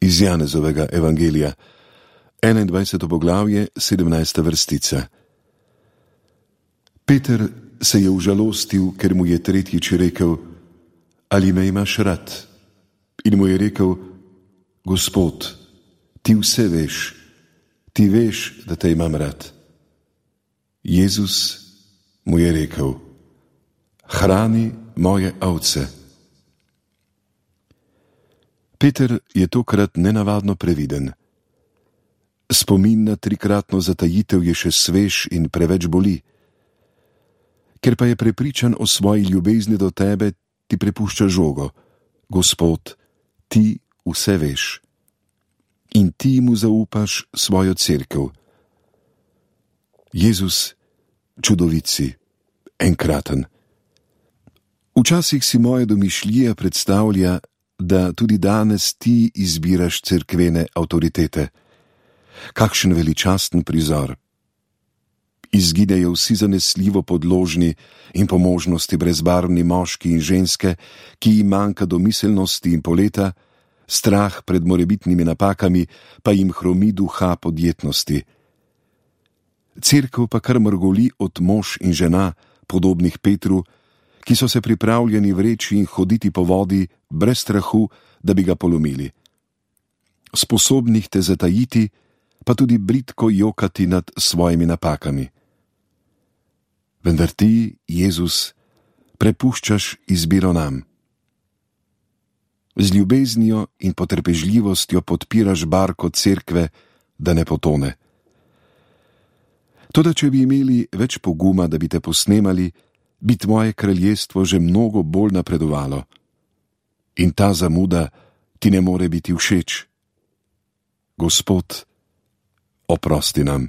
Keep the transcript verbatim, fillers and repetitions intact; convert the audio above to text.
Iz Janezovega evangelija, enaindvajseto poglavje, sedemnajsta vrstica. Peter se je užalostil, ker mu je tretjič rekel: Ali me imaš rad? In mu je rekel: Gospod, ti vse veš, ti veš, da te imam rad. Jezus mu je rekel: Hrani moje ovce. Peter je tokrat nenavadno previden. Spomin na trikratno zatajitev je še svež in preveč boli. Ker pa je prepričan o svoji ljubezni do tebe, ti prepušča žogo: Gospod, ti vse veš. In ti mu zaupaš svojo cerkev. Jezus, čudovit si, enkraten. Včasih si moja domišljija predstavlja, da tudi danes ti izbiraš cerkvene avtoritete. Kakšen veličasten prizor. Izginejo vsi zanesljivo podložni in po možnosti brezbarvni moški in ženske, ki jim manjka domiselnosti in poleta, strah pred morebitnimi napakami pa jim hromi duha podjetnosti. Cerkev pa kar mrgoli od mož in žena, podobnih Petru, ki so se pripravljeni vreči in hoditi po vodi brez strahu, da bi ga polomili. Sposobnih te zatajiti, pa tudi bridko jokati nad svojimi napakami. Vendar ti, Jezus, prepuščaš izbiro nam. Z ljubeznijo in potrpežljivostjo podpiraš barko cerkve, da ne potone. Toda če bi imeli več poguma, da bi te posnemali, bi tvoje kraljestvo že mnogo bolj napredovalo. In ta zamuda ti ne more biti všeč. Gospod, oprosti nam.